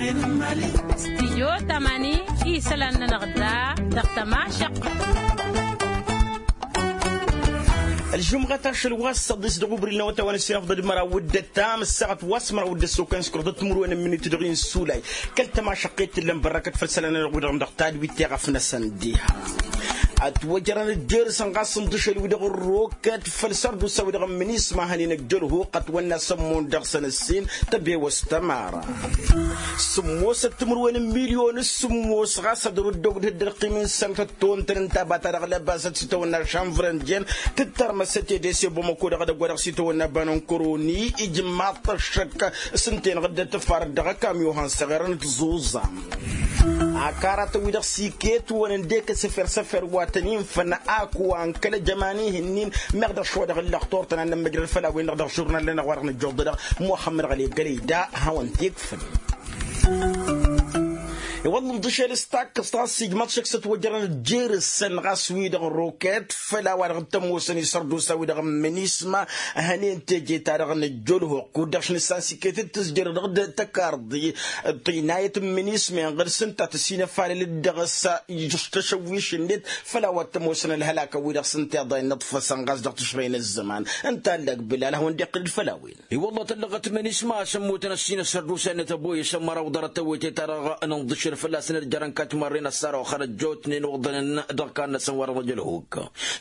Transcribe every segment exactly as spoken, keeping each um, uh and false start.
Stijyo tamani isălan-nănăɣ da dăɣ-tămašăq. Ălžumɣăt ašăl wa s-săḍis dăɣ-ubril n-awătawăn ăssinăfḍăd măraw d-ăttam ǝssaɣăt wa s-măraw d-ăssokăn s-kăruḍăt timǝrwen n-minit dăɣ-insulay. Kăl-tămašăqqet tǝllăn bărrăkăt făll-isălan-nănăɣ wi-dăɣ dăɣ-tadwit teɣăf-năsăn diha. Ătwăjrăn ăjjăr-săn ɣas ǝnḍǝšăl-wi-dăɣ ărrokăt făll-sărdusa-wi-dăɣ n-minisma hănen ăjjălhuk ătwănna s-ămmun dăɣ-săn ǝssin tăbewăs tămara. Sǝmmosăt timǝrwen n-milyon s-sǝmmos ɣas ad-ărǝddog d-hǝddărqim n-sănătăt tontăn ǝnta a ba ta dăɣ-lăbasăt s-itawănna šanvrăn jen tǝttărmăsăt edese bamăko dăɣ-edăgg wa dăɣ-s itawănna banăn kăroni ijmaḍ-t ăššăk s-ǝnta-enăɣ dd-ătǝffarăt dăɣ-ăkamyon han s-eɣerăn tǝẓuẓam. Akaratăn-wi-dăɣ s-iket wăn ǝndek asăfer-săfer wa tăn-infăn ak wa n-kăl-ăjăman ihǝnnin meɣ dăɣ-šwa dăɣ-ǝllăɣ turtăn ad-nămmăjrăd făll-a-wen-dăɣ dăɣ-žurnal-nănăɣ wa dăɣ-nǝjjuḍ-dăɣ muxămmăd ɣăleb gălăy da ad-hawăn-t-ikfǝl. I-wălla ǝnḍǝšel s-takkăẓt ɣas ijmăḍ šăkk s-ătwăjrăn ăjjeer-săn ɣas wi-dăɣ n-roket făll-a-wa-dăɣ t-ămoosăn isărdusa-wi-dăɣ n-minisma hănen teje-ta-dăɣ n-ăjjălhuk kud-dăɣ š-nǝssan s-iket d-tǝzjăr dăɣ-tăkarḍi. Ṭinayăt n-minisma inɣăr s-ǝnta tăsinăfalăl-dd dăɣ-s tăšăwwiš-net făll-a-wa t-ămoosăn ălhălakăn-wi-dăɣ s-ǝnta iḍa innăḍfăsăn ɣas dăɣ-tǝšrăy n-ăzzăman ǝnta a ăllăg bǝlal ad-hawăn-dd-iqqǝl d-făll-a-wen. I-wălla tăllăɣăt minisma a-s ămmutăn ăssinăt sărdusa-net ăboyăs ămăraw ḍarăt tawăyte-ta-dăɣ n-inḍǝšel fălla-săn dd-jărăn kătmărren ăssarăwăxăn ăjjootnen uḍănăn dăɣ-kannăsăn wa dăɣ-năjălhuk.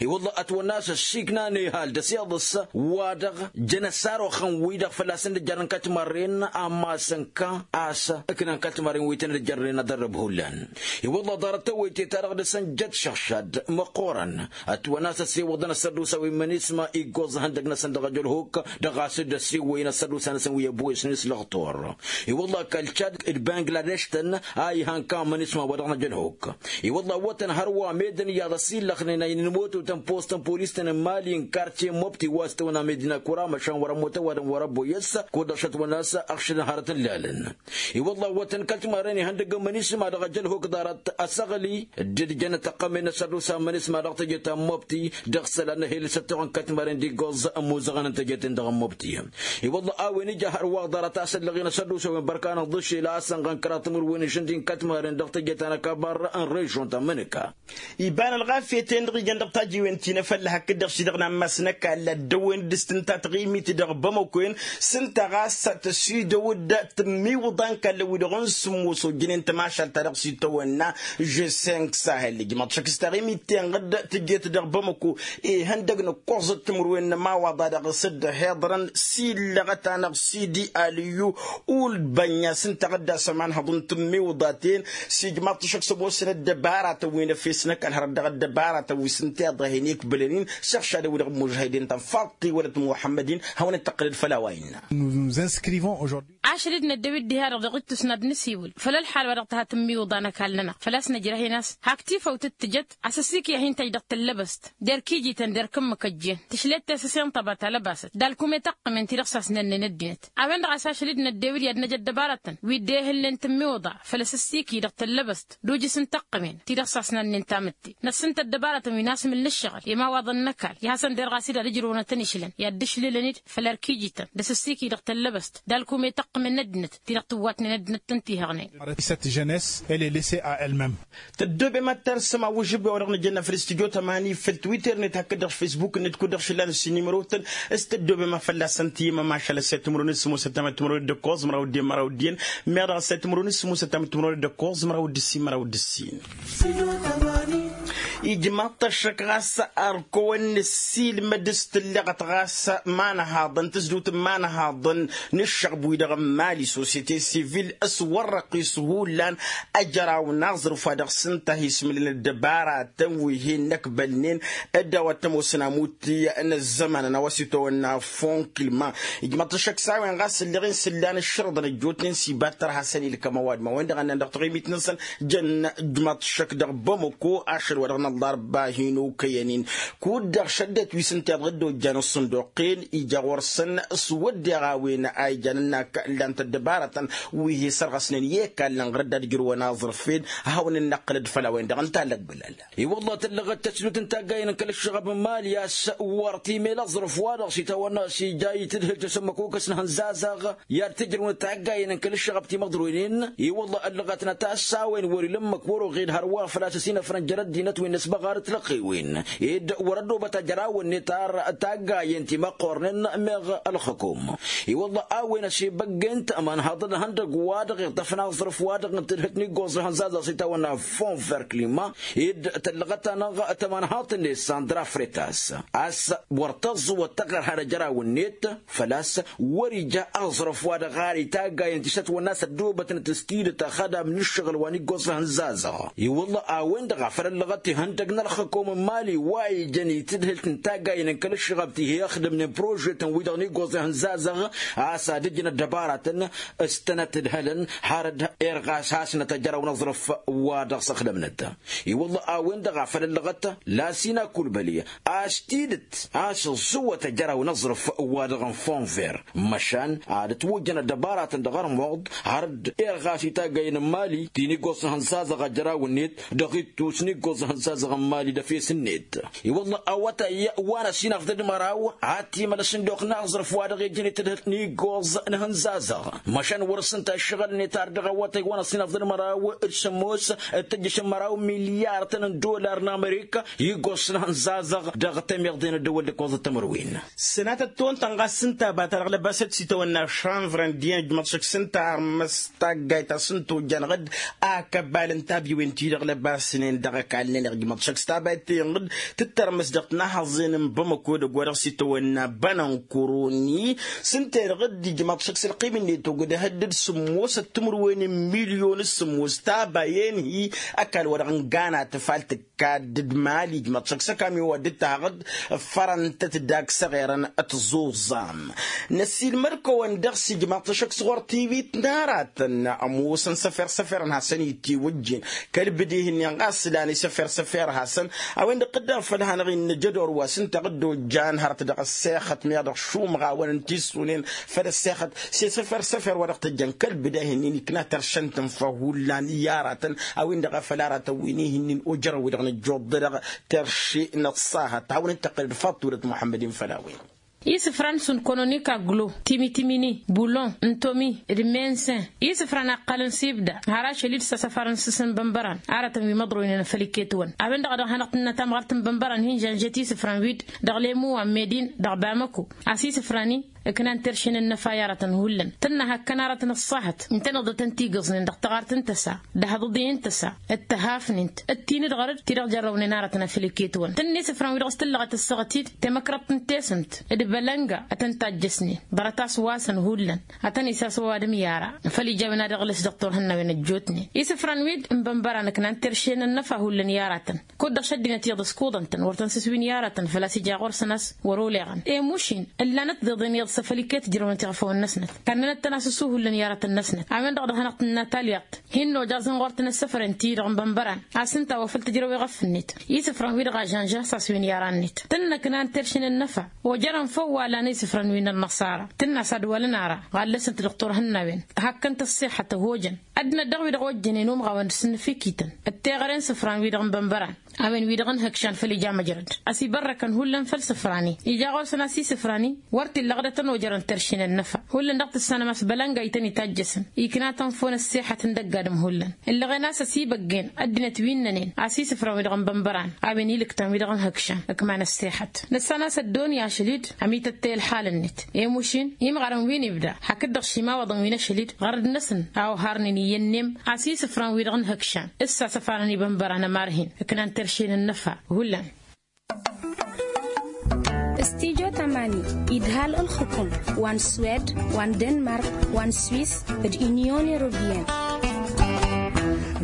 I-wălla ătwănna a-s ăssiiknanen ihal d-ăsiḍǝs wa-dăɣ jăn ăssarăwăxăn-wi-dăɣ fălla-săn dd-jărăn kătmărren amma a-s ǝnka a-s ǝknan kătmărren wi tăn-dd-jărnen ad-ărrǝb hullan. I-wălla ḍarăt tawăyte-ta-dăɣ dăr-săn jăt šăɣšad măqqoorăn ătwănna a-s ăssewăḍăn ăssărdusa wi n-minisma iggoẓ ihăndăg-năsăn dăɣ-ajălhuk dăɣ-a-s dd-ăssewăyăn ăssărdusa-năsăn wi ăboyăsnen s-lăɣtor. I-wălla kăl-čad d-bangladeš-tăn a ihan ka minisma wa dăɣ-năjălhuk. I-wălla ăwwătăn hărwa medăn iyyăḍ ăsillăxnen a inǝnmototăn post n-polis-tăn n-mali n-kartye n-mobti wa s-tăwănna medina kura măšan wăr-ămmut ăwadǝm wăr-ăboyăs kud-dăɣ šătwănna a-s ăɣšǝdăn hărăt n-lalăn. I-wălla ăwwătăn kăl-timarren ihăndăgg n-minisma dăɣ-ajălhuk ḍarăt asăɣli dd-jăn ăttăqqămen n-asărdusa n-minisma dăɣ-teje ta n-mobti dăɣ-isălan n-ehel s-ăttoɣăn kătmărren d-iggoẓ ămmuzăɣăn n-teje-ten-dăɣ n-mobti. I-wălla a-wen ija hărwa ḍarăt a-s ăllăɣen asărdusa-wen bărka n-inḍǝšel a-s ănɣăn kăraḍ timǝrwen n-išǝndi n-kătmărren dăɣ-teje ta n-ăkabăr n-režon ta n-mǝnǝka. Iba n-ălɣafyăt-en-dăɣ ijăn dăɣ-tajiwen ti n-efălla hakd-dăɣ ši-dăɣ n-ammas n-ăkall ad-dăwwen d-s-tǝnta taɣimit dăɣ-bamăko-en s-ǝnta ɣas tăsidăw-dd tǝmmiwǝḍa n-kallăn-wi-dăɣ n-sǝmmos ojjănen tămašalt-ta-dăɣ s-itawănna žeseng sahel ijmăḍ šăkk s-taɣimit-ten-dăɣ tǝjjet dăɣ-bamăko ihăndăg n-ǝkkoẓăt timǝrwen n-ămawaḍa dăɣ-s dd-ăhiḍărăn s-illăɣăt-anăɣ sidi alǝyyu ulbănna s-ǝnta dd-asăm anhăḍ n-tǝmmiwǝḍa-ten. S-ijmaḍ-t šăkk s-ămoosăn ăddăbaratăn wi n-efes n-ăkall hărăt dăɣ-ăddăbaratăn wi s-ǝnta iḍa hin-ikbǝlăn-in s-iɣšadăn-wi-dăɣ n-imužhăyden ta n-faḍt tiwălăt muḥămmăd-in hawăn-dd-tăqqǝlăd făll-a-wa innă. Ašăl-dd năddew-dd diha-dăɣ dăɣ-ittus n-ad-nǝsiwǝl făll-ălḥal wa dăɣ-tǝha tǝmmiwǝḍa n-ăkall-nănăɣ făl-a-s nǝjrăh-in a-s hak tifăw tǝttǝjăt a-s ăsikǝy a hin-tăjj dăɣ-tăllăbăst d-erk ijităn d-erk ǝmmǝk ăjjeen tǝšlet tesăse n-tăba talăbasăt d-alkum i-taqqǝmen ti-dăɣ s-asnănnen ăddinăt. A-wen-dăɣ a-s ašăl-dd năddew-dd i-ad-năj ăddăbarătăn wi dd-ehǝlnen tǝmmiwǝḍa făl-ăssikǝy dăɣ-tăllăbăst d-ujǝs n-taqqǝmen ti-dăɣ s-asnănnen tamǝtte. Năssǝntă ăddăbarătăn wi n-asmǝl n-ǝššăɣǝl i-imawaḍăn n-ăkall i-hasăn-derɣ a-s dd-ad-ǝjrǝwăn ad-tăn-išlăn i-ad-dd-ǝšlǝlăn-dd făll-erk ijităn d-asǝssikǝy dăɣ-tăllăbăst d-alkum i-taqqǝmen n-ăddinăt ti-dăɣ tǝwwatnen ăddinăt tăn-tihăɣnen. Cette jeunesse elle est laissée à elle-même. Tăddoobem ad-tarsăm awǝžžǝb wa-dăɣ nǝjănna făll-studyo tămani făll-twitter-net hakd-dăɣ s-facebook-net kud-dăɣ šǝllan s-inimărotăn. S-tăddoobem a fălla-săn tǝyyǝm ămašal ăssay timǝrwen s-sǝmmosăt tamăt timǝrwen d-ǝkkoẓ măraw d-en măraw d-iyyăn meɣ dăɣ-ăssay timǝrwen s-sǝmmosăt tamăt timǝrwen d-ǝkkoẓ măraw d-ǝssin măraw d-ǝssin. Ijmaḍ-t ăššăk ɣas ărkăwăn nǝssilmăd s-tǝllăɣăt ɣas imanhaḍăn tǝzdǝwt n-imanhaḍăn n-ǝššăɣb-wi-dăɣ n-mali sosyete sivil s-wărrăɣ-t s-hullan ăjraw n-aẓrǝf wa dăɣ-s ǝnta a hi-ismǝlǝl ăddăbaratăn wi hin-năkbălnen. Dd-a-wa t-ămoosăn amut n-ăzzămanăn a-wa s-itawănna fonkilma. Ijmăḍ-t ăššăk s-a-wen ɣas ǝlleɣ-in s-ǝllan ǝššărǝḍăn ăjjootnen s-iba t-tărha s-ănilkăm ăwadǝm a-wen-dăɣ a ǝnnan dăɣ-taɣimit-năsăn. Jăn ijmăḍ-t ăššăk dăɣ-bamăko ašăl wa dăɣ-nănăɣ. ḍarba hin-okăyăn-in. Kud-dăɣ šăddăt wi s-ǝnta iḍɣǝd ojjan ǝṣṣǝnduqen ija ɣur-săn s-wădden a-wen a ijan ǝnnak ǝllan-t ăddăbarătăn wi hi-sărɣăsnen i-ăkall n-ɣărădd ad-ǝjrǝwăn aẓrǝf-en. Ad-hawăn-dd-năqqǝlăd făll-a-wen-dăɣ ǝnta a lăgbǝlăl. I-wălla tǝllăɣăt tăsnut n-taggayen n-kăl-ǝššăɣăb n-mali a-s wăr t-imel aẓrǝf-wa-dăɣ s-itawănna s-ija i-tǝdhǝlt s-ǝmmǝk okăs n-ihănzazăɣ i-ad-t-ǝjrǝwăn taggayen n-kăl-ǝššăɣăb timăḍroynen. I-wălla ăllăɣătnăt a-s a-wen wăr-ila ǝmmǝk wăr-oɣed hărwa făl-a-s ăsinăfrăn jer-ăddinăt wi n-ăsbăɣar d-tilăqqewen ed wăr-ăddobăt ajărawăn-net ar taggayen timăqqornen meɣ ălxǝkum. I-wălla a-wen ăsebăggen-t ămanhaḍăn ihăndăgg-wa-dăɣ iṭṭăfăn aẓrǝf-wa-dăɣ n-tǝdhǝlt n-iggoẓ ihănzazăɣ s-itawănna fonver klima ed tăllăɣăt-anăɣ tămanhaḍt-net sandra fretas a-s wăr tăẓẓuwăt taɣărha n-ajărawăn-net făl-a-s wăr-ija aẓrǝf-wa-dăɣ ar itaggayen ti s-ătwănna s-ăddoobătnăt s-tidǝt ăxădam n-ǝššăɣǝl wa n-iggoẓ ihănzazăɣ. I-wălla a-wen-dăɣ a făl ăllăɣăt ihăndăg n-ălxǝkum n-imali wa ijăn i-tǝdhǝlt n-taggayen n-kăl-ǝššăɣăb ti hi-ăxdǝmnen prožetăn-wi-dăɣ n-iggoẓ ihănzazăɣ a-s ad-ǝjǝn ăddăbaratăn s-tănăt-ǝdhălăn har dd-irɣas hasnăt ajăraw n-aẓrǝf wa dăɣ-s ăxdămnăt. I-wălla a-wen-dăɣ a făl ăllăɣăt lasina kulbăli a-s tidǝt a-s ǝẓẓǝwăt ajăraw n-aẓrǝf wa dăɣ-n fonver măšan ad-ătwăjjăn ăddăbaratăn dăɣ-armuḍ har dd-irɣas itaggayen n-imali ti n-iggoẓ n-ihănzazăɣ ajăraw-net dăɣ-ittus n-iggoẓ n-ihănzazăɣ n-imali d-efes-net. I-wălla awătay wa n-ăsinăfḍăd măraw ad-t-imăl ăsǝnduq n-aẓrǝf wa dăɣ-ijăn i-tǝdhǝlt n-iggoẓ n-ihănzazăɣ măšan wăr-s ǝnta ǝššăɣǝl-net ar dăɣ-awătay wa n-ăsinăfḍăd măraw d-sǝmmos d-tǝjjǝš n-măraw milyartăn n-dollar n-amerika iggoẓ n-ihănzazăɣ dăɣ-tămiḍe n-ăddăwăl d-ǝkkoẓăt timǝrwen. Sănatăt tăwăn-tăn ɣas s-ǝnta a bata dăɣ-lăbasăt s-itawănna šanvrăn d-iyyăn ǝjmăḍ šăkk s-ǝnta armăs taggayt a-s ǝnta ojjan ɣǝd. Akăbal n-tabiwen-ti-dăɣ lăbasnen dăɣ-ăkall-nen ijmăḍ šăkk s-tabayt-ten ɣǝd tǝttărmăs dăɣ-tinahăẓen n-bamăko edăgg wa dăɣ-s itawănna bănănkuruni. S-ǝnta-en ɣǝd ijmăḍ šăkk s-ălqim-net ogdăh dd-sǝmmosăt timǝrwen n-milyon s-sǝmmos tabayen-hi. Ăkall wa dăɣ-n gana tǝfal tǝkka dd-mali ijmăḍ šăkk s-ăkami wa dd-tahăɣ-dd ǝffărăn-tăt dak s-eɣerăn ătẓuẓam. Năsiilmăd-kăwăn dăɣ-s ijmăḍ-t ašăk s-ɣur-tiwit n-aratăn ămoosăn săfer-săfer n-hasăn-itiwǝjjen kăl-bǝde-hi-nin ɣas lan isăfer-săfer hasăn. A-wen-dăɣ dd-afăl hanăɣ-innă jădor wa s-ǝnta ɣǝdda ojjan hărăt dăɣ-ăssexăt meɣ dăɣ-šumɣawăn n-tissunen făll-ăssexăt s-e-săfer-săfer wa dăɣ-tăjjăn kăl-bǝde-hi-nin ikna tăršăn-tăn făw hullan i-aratăn. A-wen-dăɣ a făl aratăn wi n-ihi-nin ojărăn-wi-dăɣ nǝjjuḍ-dăɣ tărše n-ăṣṣahăt hawăn-dd-tăqqǝlăd faḍt tudăt muḥămmăd-in făll-a-wen. Isǝfran s-ǝnkononik aglo timi-timini bulon n-tomi d-mensen isǝfran a ǝqqălăn s-ibda har ašăl-dd s-asăfar n-sǝsǝn bănbăran aratăn wi măḍroynen făll-iket-wăn. A-wen-dăɣ a dăɣ-hanăɣ-tǝnna tamɣart n-bănbăran hin-žănžet isǝfran-wi-dd dăɣ-lemuwa n-medin dăɣ-bamăko a-s isǝfran-i ǝknan terše n-ănnăfa i-aratăn hullan tǝnna hakkăn aratăn ăṣṣahăt ǝntăneḍ dăr-tăn-t-igǝẓnen dăɣ-taɣart n-tăsa d-ahăḍăḍe n-tăsa d-tăhafnen-t d-tinǝdɣăr-dd ti-dăɣ jărrăwnen aratăn afăl iket-wăn tǝnna isǝfran-wi-dăɣ s-tǝllăɣăt ăssaɣăt-dd temăkrăḍt n-tesǝmt d-bălănga ad-tăn-tajjăsnen ḍarăt-as wa-săn hullan ad-tăn-isas ăwadǝm i-ara făl ija a-wen ad-iɣlǝs dăɣ-turhǝnnawen ăjjootnen isǝfran-wi-dd n-bănbăran ǝknan terše n-ănnăfa hullan i-aratăn. Kud-dăɣ šăddinăt iyyăḍ ăskuḍăn-tăn wăr tăn-sǝswin i-aratăn făl-a-s ija ɣur-săn a-s wăr-oleɣăn i-mušin ǝllanăt tiḍeḍen iyyăḍ s-afăl iket ǝjrăwnăt iɣfawăn-năsnăt kannănăt-tăn a-s ǝssuhullan i-aratăn-năsnăt. A-wen-dăɣ dăɣ-hanăɣ-tǝnna talyaḍt hin-nojaẓăn ɣur-tăn ăssăfăren-ti-dăɣ n-bănbăran a-s ǝnta a-wa făl tǝjrăw iɣăf-net isǝfran-wi-dăɣ a žănžăh s-a-s win i-ara-net tǝnna ǝknan terše n-ănnăfa ojărăn făw wa lan isǝfran wi n-ănnăṣara tǝnna s-ad-walăn ara ɣallăsăn-t dăɣ-turhǝnnawen hakkăn-t ăṣṣixăt ăhojăn. Ăddinăt daɣ wi-dăɣ ojjănen umɣawăn d-sǝnnǝfikităn d-teɣăre n-isǝfran-wi-dăɣ n-bănbăran a-wen wi-dăɣ n-hǝkšan făll-ija măjrăd ăsibărrăkăn hullan făll-isǝfran-i ija ɣur-săn a-s isǝfran-i wăr t-illa ɣǝdătăn ojărăn terše n-ănnăfa. Hullan dăɣ-tǝssanăm a-s bălănga ităn-itajjăsăn ikna tănfon ăṣṣixăt n-dăgg-adǝm hullan ǝllăɣen a-s ăsibăggen ăddinăt wi ǝnnănen a-s isǝfran-wi-dăɣ n-bănbăran a-wen ilǝktan wi-dăɣ n-hǝkšan ǝkman ăṣṣixăt. Nǝssan a-s ăddooni ašăl-dd ămităttăy ălxal-net i-mušin imɣarăn wi n-ibda hakd-dăɣ šimawăḍăn wi n-ašăl-dd ɣărăd-năsăn a oharnen iyyăn n-emm a-s isǝfran-wi-dăɣ n-hǝkšan s-asăfarăn ibănbăran ămarhin ǝknan terše n-ănnăfa. Hullan. Studyo tamani idhal ǝlxǝkum wa n-swed wa n-denmark wa n-swis d-inyon europeyăn.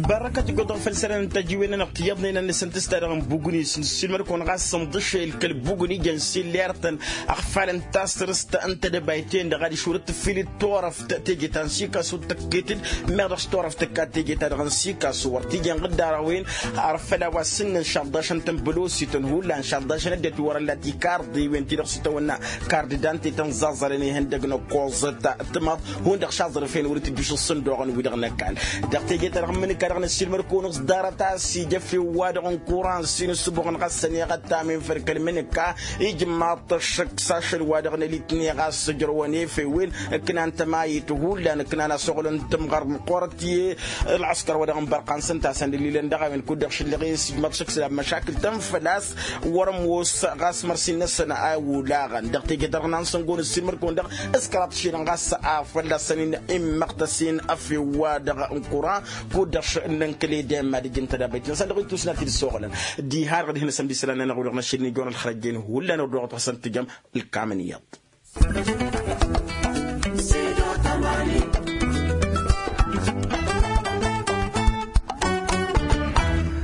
Bărrăkăt ăggoḍăɣ făll-isălan n-tăjiwen-nănăɣ tiyyăḍnen a nǝsǝntǝs-ta-dăɣ n-bugni s-nǝssilmăr-kăwăn ɣas sǝnḍǝšel kăl-bugni jăn sillert-tăn ăɣfalăn tasrǝst n-tedăbayten-dăɣ adiš wăr-dd-tǝffilǝd turăft teje ta n-sikasu d-tăkket-dd meɣ dăɣ-s turăft tǝkka teje-ta-dăɣ n-sikasu wăr t-ija n-ɣǝddarăwen. Arfăl a-wa s-ǝnnăn šaḍḍašăn-tăn bălosităn hullan šaḍḍašăn ăddinăt wi wăr-ăllat ikarḍiwen-ti-dăɣ s-itawănna kardidante tăn-zaẓărăn ihăndăg n-ăkkoẓăt. Tǝmăḍ hundăɣ šaẓrǝfen wăr-itǝjjuš ǝssǝndoɣăn-wi-dăɣ n-ăkall. Dăɣ-teje-ta-dăɣ n-imǝnǝkka-dăɣ n-ăssiilmăr-kăwăn-ǝẓḍarăt a-s ija efew-wa-dăɣ n-kuran s-inǝssǝboɣăn ɣas ăneɣăt tamen făll-kăl-imǝnǝkka. Ijmaḍ-t ăššăk s-ašăl-wa-dăɣ n-elitne ɣas ǝjrăwăn efew-en ǝknan tămayit hullan ǝknan a-s oɣlăn tǝmɣăr măqqoorăt i-ălɣăskăr wa dăɣ-n bărqan s-ǝnta a-s ănililăn dăɣ-a-wen kud-dăɣ šǝllăɣ-e s-ijmaḍ šăkk s-ila măšakǝl tăn-făl-a-s. Wăr-ămoos ɣas mărsin-năsăn a olaɣăn dăɣ-teje-ta-dăɣ n-ansăngon ǝssin măr-kăwăn-dăɣ s-kăraḍ šilăn ɣas a fălla-săn-in immăɣtăs-in ăfew-wa-dăɣ n-kura kud-dăɣ n-ǝnkăl edem ad-ǝjǝn tădabăyt-năsăn dăɣ-ittus n-ad-t-dd-soɣlăn. Diha-dăɣ d-hin-asăn d-isălan-nănăɣ wi-dăɣ n-ašăl n-ijon ălxărăjjen hullan ărdăɣăt ɣas ăntǝjăm. Ǝlkamăn iyyăḍ.